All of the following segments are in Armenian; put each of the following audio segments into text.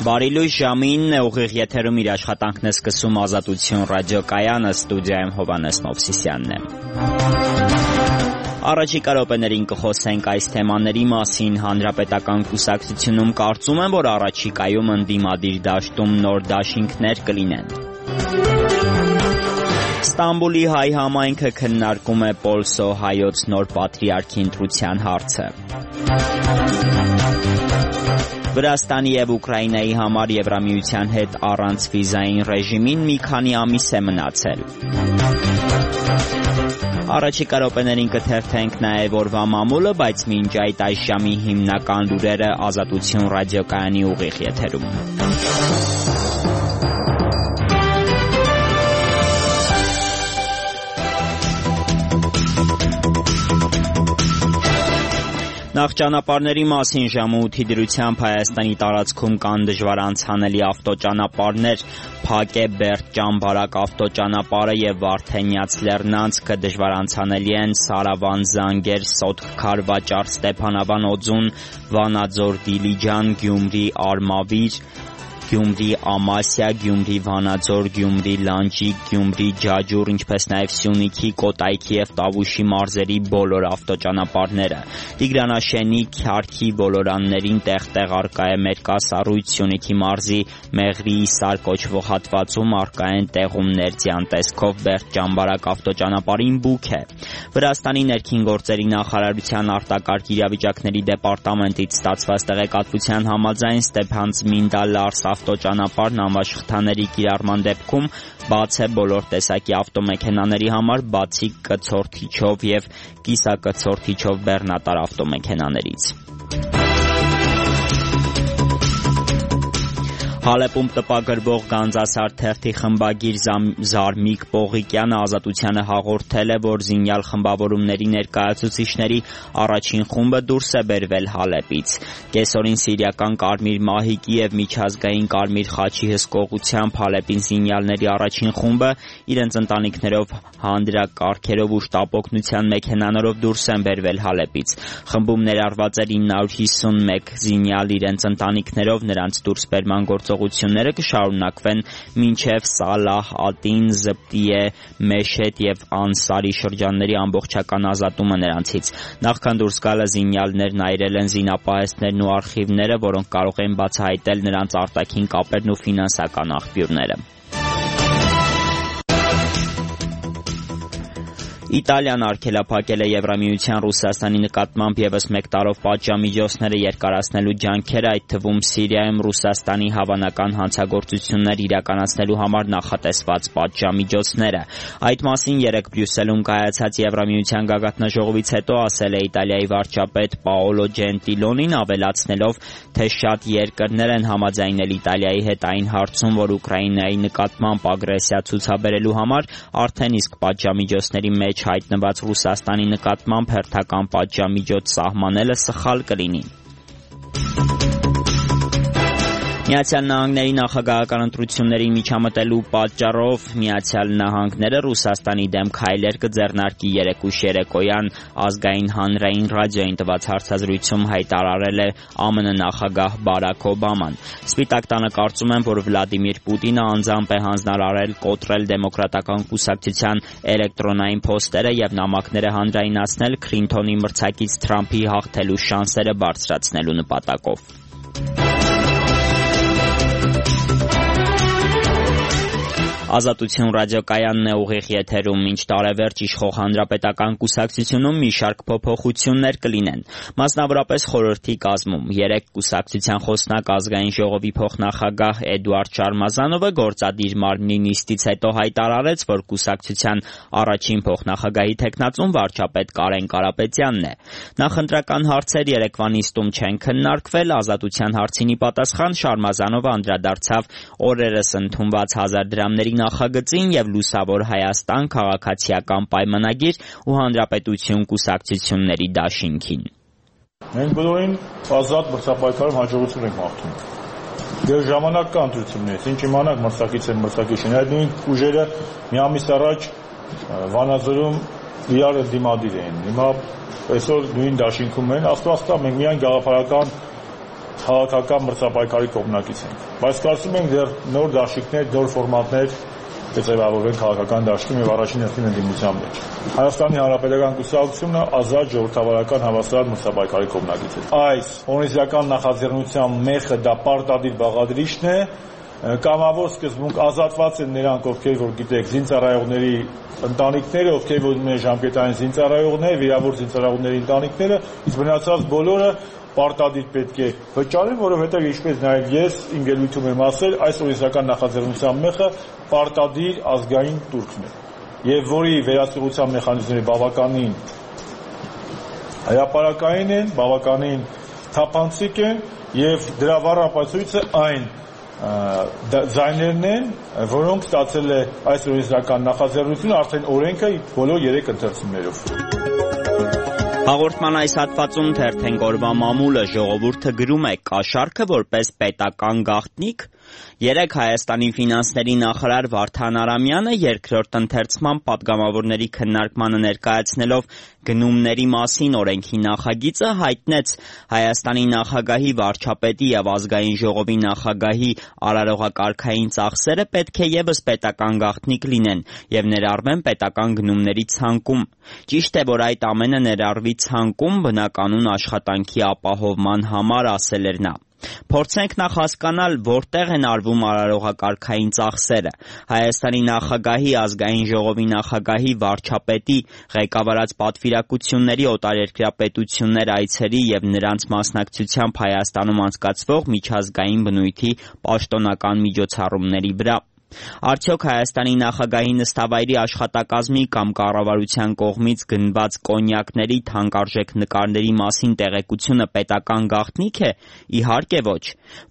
Բարի լույս ժամին ուղիղ եթերում իր աշխատանքն է սկսում Ազատություն ռադիոկայանը, ստուդիայում Հովհաննես Մովսիսյանն է։ Առաջիկա րոպեներին կխոսենք այս թեմաների մասին։ Հանրապետական կուսակցությունում կարծում են, որ առաջիկայում ընդդիմադիր դաշտում նոր դաշինքներ կլինեն։ Ստամբուլի հայ համայնքը քննարկում է Պոլսո հայոց նոր պատրիարքի ընտրության հարցը։ Վրաստանի և Ուկրաինայի համար Եվրամիության հետ առանց վիզային ռեժիմին մի քանի ամիս է մնացել։ Առաջիկա րոպեներին կթերթենք նաև օրվա մամուլը, բայց մինչ այս ժամի հիմնական լուրերը Ազատություն ռադիոկայանի ուղիղ եթերում։ Նախ ճանապարհների մասին ժամը 8-ի դրությամբ Հայաստանի տարածքում կան դժվար անցանելի ավտոճանապարհներ, փակ է Բերդ-Ճամբարակ ավտոճանապարհը եւ Վարդենյաց լեռնանցքը, դժվար անցանելի են Սարավան, Զանգեր, Սոտք, Քարվաճար, Ստեփանավան, Օձուն, Վանաձոր, Դիլիջան, Գյումրի, Արմավիր, Գյումրի Ամասիա, Գյումրի Վանաձոր, Գյումրի Լանջիկ, Գյումրի Ջաջուր, ինչպես նաև Սյունիքի, Կոտայքի եւ Տավուշի մարզերի բոլոր ավտոճանապարհները։ Տիգրանաշենի, Քյարքի ոլորաններին տեղ-տեղ արկա է մերկասառույց, Սյունիքի մարզի Մեղրի Իսար կոչվող հատվածում արկա են տեղումներ, ձյան տեսքով Բերդ-Ճամբարակ ավտոճանապարհին բուք է։ Վրաստանի ներքին գործերի նախարարության արտակարգ իրավիճակների դեպարտամենտից ստացված տեղեկատվության համաձայն Ստեփանցմինդա-Լարս ավտոճանապարհն անվաշխթաների կիրառման դեպքում բաց է բոլոր տեսակի ավտոմեքենաների համար, բացի կցորդիչով եւ կիսակցորդիչով բեռնատար ավտոմեքենաներից։ Հալեպում տպագրվող Գանձասար թերթի խմբագիր Զարմիկ Պողիկյանը Ազատությանը հաղորդել է, որ զինյալ խմբավորումների ներկայացուցիչների առաջին խումբը դուրս է բերվել Հալեպից։ Կեսօրին սիրիական Կարմիր մահիկի եւ միջազգային Կարմիր խաչի հսկողությամբ Հալեպին զինյալների առաջին խումբը իրենց ընտանիքներով, հանդրակարգերով ու շտապօգնության մեքենաներով դուրս են բերվել Հալեպից։ Խմբում ներառված էր 951 զինյալ իրենց ընտանիքներով, նրանց դուրսբերման գործողությունները կշարունակվեն մինչև Սալահ, Ատին, Զպտիե, Մեշետ եւ Անսարի շրջանների ամբողջական ազատումը նրանցից։ Նախքան դուրս գալը զինյալներն այրել են զինապահեստներն ու արխիվները, որոնք կարող են բացահայտել նրանց արտաքին կապերն ու ֆինանսական աղբյուրները։ Իտալիան արգելափակել է Եվրամիության Ռուսաստանի նկատմամբ ևս մեկ տարով պատժամիջոցները երկարացնելու ջանքերը, այդ թվում Սիրիայում Ռուսաստանի հավանական հանցագործություններ իրականացնելու համար նախատեսված պատժամիջոցները։ Այդ մասին երեկ Բրյուսելում կայացած Եվրամիության գագաթնաժողովից հետո ասել է Իտալիայի վարչապետ Պաոլո Ջենտիլոնին, ավելացնելով, թե շատ երկրներ են համաձայնել Իտալիայի հետ այն հարցում, որ Ուկրաինայի նկատմամբ ագրեսիա ցուցաբերելու համար արդեն իսկ պատժամիջոցների մեջ հայտնված Ռուսաստանի նկատմամբ հերթական պատժամիջոց սահմանելը սխալ կլինի։ Միացյալ Նահանգների նախագահական ընտրությունների միջամտելու պատճառով Միացյալ Նահանգները Ռուսաստանի դեմ քայլեր կձեռնարկի երեկույթ երեկոյան ազգային հանրային ռադիոյին տված հարցազրույցում հայտարարել է ԱՄՆ նախագահ Բարաք Օբաման։ Սպիտակ տանը կարծում են, որ Վլադիմիր Պուտինը անձամբ է հանձնարարել կոտրել դեմոկրատական կուսակցության էլեկտրոնային փոստերը եւ նամակները հանրայնացնել Քլինթոնի մրցակից Թրամփի հաղթելու շանսերը բարձրացնելու նպատակով։ Ազատություն ռադիոկայանն է ուղիղ եթերում, մինչ տարեվերջ իշխող հանրապետական կուսակցությունում մի շարք փոփոխություններ կլինեն, մասնավորապես խորհրդի կազմում։ Երեկ կուսակցության խոսնակ ազգային ժողովի փոխնախագահ Էդուարդ Շարմազանովը գործադիր մարմնի նիստից հետո հայտարարեց, որ կուսակցության առաջին փոխնախագահի թեկնածուն վարչապետ Կարեն Կարապետյանն է։ Նախընտրական հարցեր երեկվա նիստում չեն քննարկվել, ազատության հարցին ի պատասխան Շարմազանովը անդրադարձավ օրերս ընդունված 1000 դրամների նախագծին եւ Լուսավոր Հայաստան քաղաքացիական պայմանագիր ու հանրապետություն կուսակցությունների դաշինքին։ Մենք բոլորին ազատ մրցապայքարում հաջողություն ենք մաղթում։ Դեռ ժամանակ կա ընտրություններից, ինչ իմանանք մրցակից են մրցակիցին, այդ նույն ուժերը մի ամիս առաջ Վանաձորում իրար դիմադիր էին։ Հիմա այսօր նույն դաշինքում են, աստվածքա մենք միայն գաղափարական քաղաքական մրցապայքարի կողմնակից ենք, բայց կարծում ենք դեռ նոր դաշինքներ, նոր ֆորմատներ կձևավորվեն քաղաքական դաշտում եւ առաջին հերթին ընդդիմության մեջ։ Հայաստանի Հանրապետական կուսակցությունը ազատ ժողովրդավարական հավասար մրցապայքարի կողմնակից է։ Այս օրենսդրական նախաձեռնության մեխը դա պարտադիր բաղադրիչն է, կամավոր սկզբունք ազատված են նրանք, ովքեր որ գիտեք, զինծառայողների ընտանիքները, ովքեր որ ունեն ժամկետային զինծառայողներ, վիրավոր զինծառայողների ընտանիքները, իսկ մնացած բոլորը պարտադիր պետք է վճարեն, որովհետև ինչպես նաև ես իմ ելույթում եմ ասել, այս օրենսդրական նախաձեռնության մեխը պարտադիր ազգային տուրքն է, եւ որի վերահսկողության մեխանիզմները բավականին հրապարակային են, բավականին թափանցիկ են եւ դրա վառապացույցը այն ձայներն են, որոնք ստացել է այս օրենսդրական նախաձեռնությունը արդեն օրենքը բոլոր 3 ընթերցումներով։ Հաղորդման այս հատվածում թերթենք օրվա մամուլը ժողովուրդը գրում է կաշառքը որպես պետական գաղտնիք։ Երեկ Հայաստանի ֆինանսների նախարար Վարդան Արամյանը երկրորդ ընթերցման պատգամավորների քննարկմանը ներկայացնելով գնումների մասին օրենքի նախագիծը հայտնեց Հայաստանի նախագահի, վարչապետի եւ ազգային ժողովի նախագահի արարողակարգային ծախսերը պետք է եւս պետական գաղտնիք լինեն եւ ներառվեն պետական գնումների ցանկում։ Ճիշտ է, որ այդ ամենը ներառվի ցանկում բնականոն աշխատանքի ապահովման համար, ասել էր նա։ Փորձենք նախ հասկանալ, որտեղ են արվում արարողակարգային ծախսերը։ Հայաստանի նախագահի, ազգային ժողովի նախագահի, վարչապետի ղեկավարած պատվիրակությունների, օտարերկրյա պետություններ այցերի եւ նրանց մասնակցությամբ Հայաստանում անցկացվող միջազգային բնույթի պաշտոնական միջոցառումների վրա։ Արդյոք Հայաստանի նախագահի նստավայրի աշխատակազմի կամ կառավարության կողմից գնված կոնյակների, թանկարժեք նկարների մասին տեղեկությունը պետական գաղտնիք է։ Իհարկե ոչ։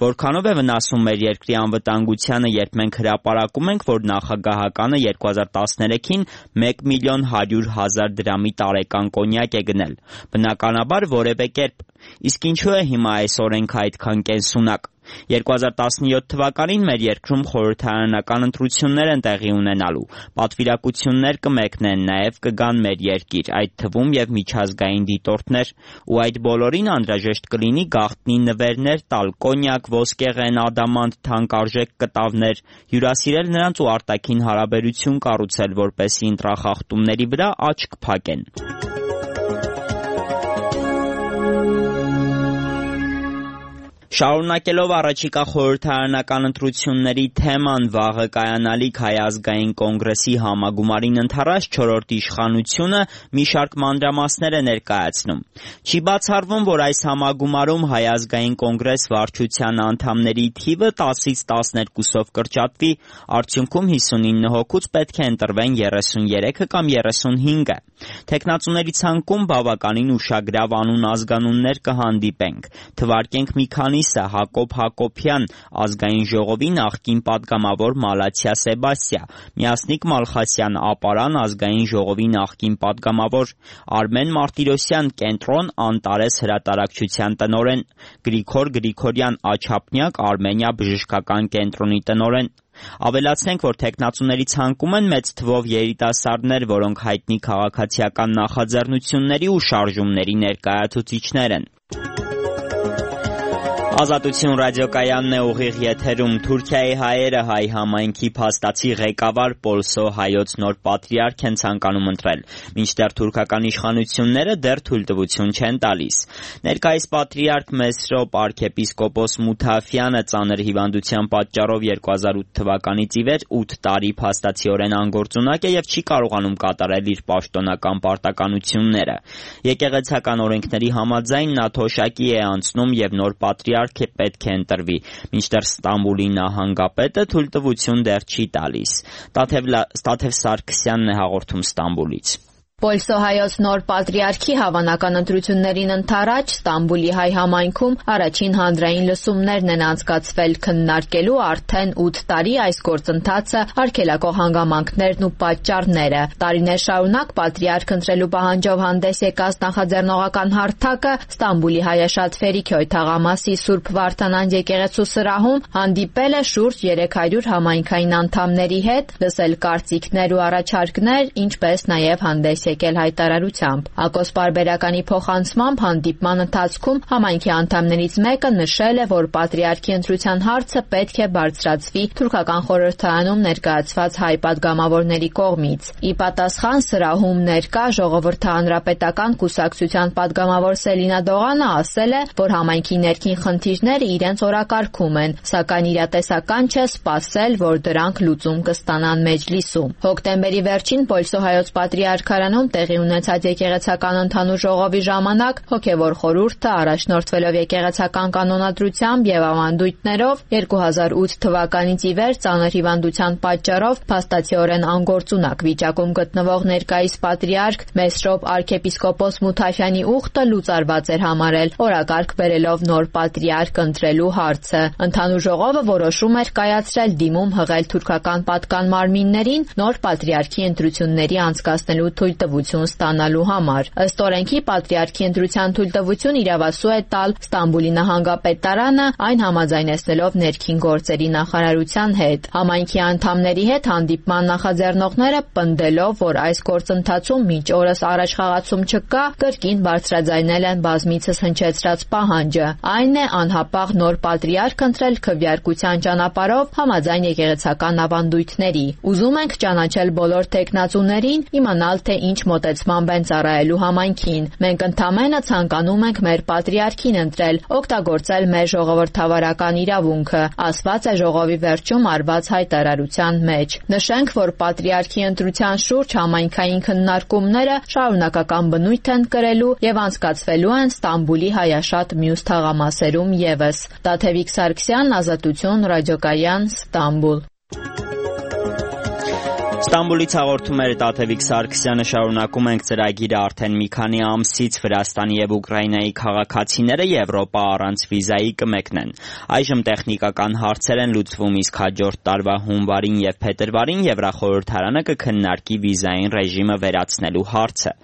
Որքանով է վնասում մեր երկրի անվտանգությանը, երբ մենք հրապարակում ենք, որ նախագահականը 2013-ին 1.100.000 դրամի տարեկան կոնյակ է գնել։ Բնականաբար որևէ կերպ։ Իսկ ինչու է հիմա այս օրենքը այդքան կենսունակ։ 2017 թվականին մեր երկրում խորհրդարանական ընտրություններ են տեղի ունենալու, պատվիրակություններ կմեկնեն, նաև կգան մեր երկիր, այդ թվում եւ միջազգային դիտորդներ, ու այդ բոլորին անհրաժեշտ կլինի գաղտնի նվերներ տալ, կոնյակ, ոսկեղեն, ադամանտ, թանկարժեք կտավներ, հյուրասիրել նրանց ու արտաքին հարաբերություն կառուցել, որպեսզի ընտրախախտումների վրա աչք փակեն։ Շարունակելով առաջիկա խորհրդարանական ընտրությունների թեման, վաղը կայանալիք Հայ ազգային կոնգրեսի համագումարին ընդառաջ 4-րդ իշխանությունը մի շարք մանրամասներ է ներկայացնում։ Չի բացառվում, որ այս համագումարում Հայ ազգային կոնգրես վարչության անդամների թիվը 10-ից 12-ով կրճատվի, արդյունքում 59 հոգուց պետք է ընտրվեն 33-ը կամ 35-ը։ Թեկնածուների ցանկում բավականին ուշագրավ անուն ազգանուններ կհանդիպենք։ Թվարկենք մի քանիսը՝ Հակոբ Հակոբյան, ազգային ժողովի նախկին պատգամավոր Մալաթիա Սեբաստիա, Միասնիկ Մալխասյան, Ապարան, ազգային ժողովի նախկին պատգամավոր, Արմեն Մարտիրոսյան, Կենտրոն, Անտարես հրատարակչության տնօրեն, Գրիգոր Գրիգորյան, Աչափնյակ, Արմենիա բժշկական կենտրոնի տնօրեն։ Ավելացնենք, որ թեկնածուների ցանկում են մեծ թվով երիտասարդներ, որոնք հայտնի քաղաքացիական նախաձեռնությունների ու շարժումների ներկայացուցիչներ են։ Ազատություն ռադիոկայանն է ուղիղ եթերում։ Թուրքիայի հայերը հայ համայնքի փաստացի ղեկավար Պոլսո հայոց նոր պատրիարք են ցանկանում ընտրել, մինչդեռ թուրքական իշխանությունները դեռ թույլտվություն չեն տալիս։ Ներկայիս պատրիարք Մեսրոպ arczepiskopos Մութաֆյանը ծանր հիվանդության պատճառով 2008 թվականից ի վեր 8 տարի փաստացիորեն անգործունակ է եւ չի կարողանում կատարել իր պաշտոնական պարտականությունները։ Եկեղեցական օրենքների համաձայն նա թոշակի է անցնում եւ նոր պատրիարք պետք է ընտրվի, մինչդեռ Ստամբուլի նահանգապետը թույլտվություն դեռ չի տալիս։ Ստաթև Սարգսյանն է հաղորդում Ստամբուլից։ Պոլսո հայոց նոր պատրիարքի հավանական ընտրություններին ընդառաջ Ստամբուլի հայ համայնքում առաջին հանրային լսումներն են անցկացվել, քննարկելու արդեն 8 տարի այս գործընթացը, արգելակող հանգամանքներն ու պատճառները։ Տարիներ շարունակ պատրիարք ընտրելու պահանջով հանդես եկած նախաձեռնողական հարթակը Ստամբուլի հայաշատ Ֆերիքյոյ թաղամասի Սուրբ Վարդանանջ եկեղեցու սրահում հանդիպել է շուրջ 300 համայնքային անդամների հետ, լսել կարծիքներ ու առաջարկներ, ինչպես նաև հանդես եկել հայտարարությամբ։ Ակոս պարբերականի փոխանցմամբ հանդիպման ընթացքում համայնքի անդամներից մեկը նշել է, որ պատրիարքի ընտրության հարցը պետք է բարձրացվի թուրքական խորհրդարանում ներկայացված հայ պատգամավորների կողմից։ Ի պատասխան սրահում ներկա Ժողովրդի հանրապետական կուսակցության պատգամավոր Սելինա Դողանը ասել է, որ համայնքի ներքին խնդիրները իրենց օրակարգում են, սակայն իրատեսական չէ սպասել, որ դրանք լուծում կստանան մեջլիսում։ Հոկտեմբերի վերջին Պոլսո հայոց պատրիարքարանում տեղի ունեցած եկեղեցական ընդհանուր ժողովի ժամանակ հոգևոր խորհուրդը առաջնորդվելով եկեղեցական կանոնադրությամբ եւ ավանդույթներով 2008 թվականից ի վեր ծանր հիվանդության պատճառով փաստացիորեն անգործունակ վիճակում գտնվող ներկայիս պատրիարք Մեսրոպ arczepiskopos Մութաֆյանի ուխտը լուծարված էր համարել, օրակարգ բերելով նոր պատրիարք ընտրելու հարցը։ Ընդհանուր ժողովը որոշում էր կայացրել դիմում հղել թուրքական պատկան մարմիններին նոր պատրիարքի ընտրությունների անցկացնելու թույլտվություն ստանալու համար։ Ըստ օրենքի պատրիարքի ընտրության թույլտվություն իրավասու է տալ Ստամբուլի նահանգապետարանը, այն համաձայնեցնելով ներքին գործերի նախարարության հետ։ Համայնքի անդամների հետ հանդիպման նախաձեռնողները պնդելով, որ այս գործընթացում մինչ օրս առաջխաղացում չկա, կրկին բարձրաձայնել են բազմիցս հնչեցրած պահանջը։ Այն է անհապաղ նոր պատրիարք ընտրել քվեարկության ճանապարհով համաձայն եկեղեցական ավանդույթների։ Ուզում ենք ճանաչել բոլոր տեխնացուներին, իմանալ թե ինչ մոտեցմամբ են ծառայելու համայնքին։ Մենք ընդամենը ցանկանում ենք մեր պատրիարքին ընտրել, օգտագործել մեր ժողովրդավարական իրավունքը, ասված է ժողովի վերջում արված հայտարարության մեջ։ Նշենք, որ պատրիարքի ընտրության շուրջ համայնքային քննարկումները շարունակական բնույթ են կրելու եւ անցկացվելու են Ստամբուլի հայաշատ մյուս թաղամասերում եւս։ Տաթևիկ Սարգսյան, Ազատություն, Ռադիոկայան, Ստամբուլ։ Ստամբուլից հաղորդում էր Տաթևիկ Սարգսյանը։ Շարունակում ենք ծրագիրը։ Արդեն մի քանի ամսից Վրաստանի եւ Ուկրաինայի քաղաքացիները Եվրոպա առանց վիզայի կմեկնեն։ Այժմ տեխնիկական հարցեր են լուծվում, իսկ հաջորդ տարվա հունվարին եւ փետրվարին Եվրախորհրդարանը կքննարկի վիզային ռեժիմը վերացնելու հարցը։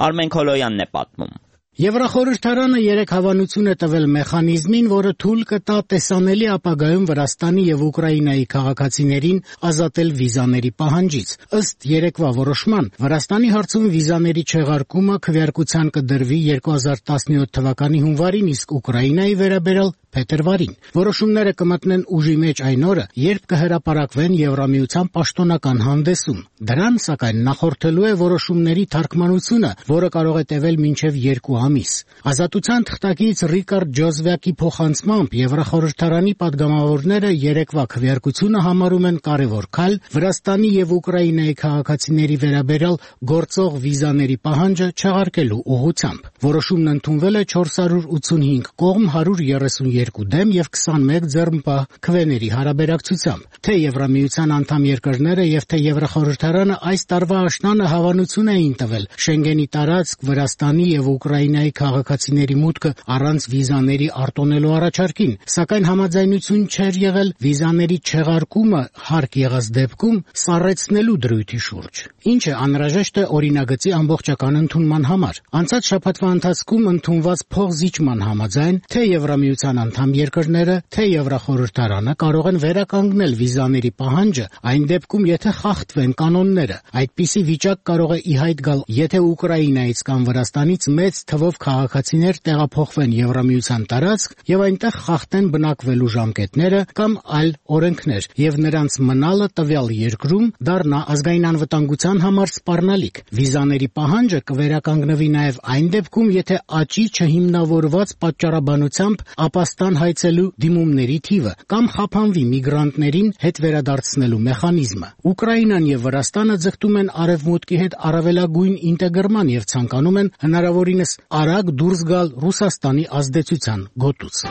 Արմեն Քոլոյանն է պատմում։ Եվրախորհրդարանը 3 հավանություն է տվել մեխանիզմին, որը թույլ կտա տեսանելի ապագայում Վրաստանի եւ Ուկրաինայի քաղաքացիներին ազատել վիզաների պահանջից։ Ըստ երեկվա որոշման, Վրաստանի հարցում վիզաների չեղարկումը քվեարկության կդրվի 2017 թվականի հունվարին, իսկ Ուկրաինայի վերաբերյալ փետրվարին։ Որոշումները կմտնեն ուժի մեջ այն օրը, երբ կհրապարակվեն Եվրամիության պաշտոնական հանդեսում։ Դրան, սակայն, նախորդելու է որոշումների թարգմանությունը, որը կարող է տևել մինչև 2 ամիս։ Ազատության թղթակից Ռիկարդ Ջոզվյակի փոխանցմամբ Եվրախորհրդարանի պատգամավորները երեկվա քվեարկությունը համարում են կարևոր քայլ Վրաստանի եւ Ուկրաինայի քաղաքացիների վերաբերյալ գործող վիզաների պահանջը չեղարկելու ուղղությամբ։ Որոշումն ընդունվել է 485 կողմ 132 դեմ եւ 21 ձեռնպահ քվեների հարաբերակցությամբ։ Թե Եվրամիության անդամ երկրները եւ թե Եվրախորհրդարանը այս տարվա աշնանը հավանություն էին տվել Շենգենի տարածք Վրաստանի եւ Ուկրաինայի քաղաքացիների մուտքը առանց վիզաների արտոնելու առաջարկին, սակայն համաձայնություն չէր եղել վիզաների չեղարկումը հարկ եղած դեպքում սառեցնելու դրույթի շուրջ, ինչը անհրաժեշտ է օրինագծի ամբողջական ընդունման համար։ Անցած շաբաթվա ընթացքում ընդունված փոխզիջման համաձայն թե Եվրամիության անդամ երկրները, թե Եվրախորհրդարանը կարող են վերականգնել վիզաների պահանջը այն դեպքում, եթե խախտվեն կանոնները։ Այդպիսի վիճակ կարող է ի հայտ գալ, եթե Ուկրաինայից կամ Վրաստանից մեծ թվով քաղաքացիներ տեղափոխվեն Եվրամիության տարածք եւ այնտեղ խախտեն բնակվելու ժամկետները կամ այլ օրենքներ, եւ նրանց մնալը տվյալ երկրում դառնա ազգային անվտանգության համար սպառնալիք։ Վիզաների պահանջը կվերականգնվի նաեւ այն դեպքում, եթե աճի չհիմնավորված պատճառաբանությամբ ապաստան հայցելու դիմումների թիվը կամ խափանվի միգրանտներին հետ վերադարձնելու մեխանիզմը։ Ուկրաինան եւ Վրաստանը ձգտում են արևմուտքի հետ առավելագույն ինտեգրման եւ ցանկանում են հնարավորինս արագ դուրս գալ Ռուսաստանի ազդեցության գոտուց։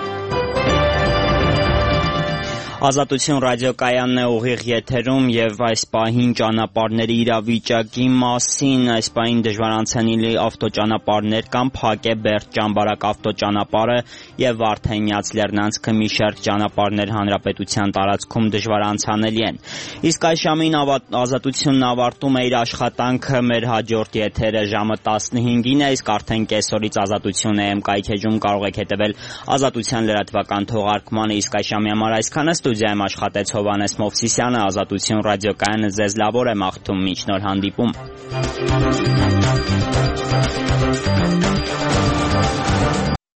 Ազատություն ռադիոկայանն է ուղիղ եթերում եւ այս պահին ճանապարհների իրավիճակի մասին, այս պահին դժվարանցանելի ավտոճանապարհներ կան, փակ է Բերդ-Ճամբարակ ավտոճանապարհը եւ Վարդենյաց Լեռնանցքը մի շարք ճանապարհներ հանրապետության տարածքում դժվարանցանելի են։ Իսկ այս ժամին Ազատությունն ավարտում է իր աշխատանքը, մեր հաջորդ եթերը ժամը 15-ին է, իսկ արդեն կեսօրից Ազատություն AM կայքեջում կարող եք հետևել Ազատության լրատվական թողարկմանը, իսկ այս ժամի համար այսքանը։ Ստուդիայում աշխատեց Հովհաննես Մովսիսյանը, Ազատություն ռադիոկայանը ձեզ լավոր է մաղթում, մինչ նոր հանդիպում։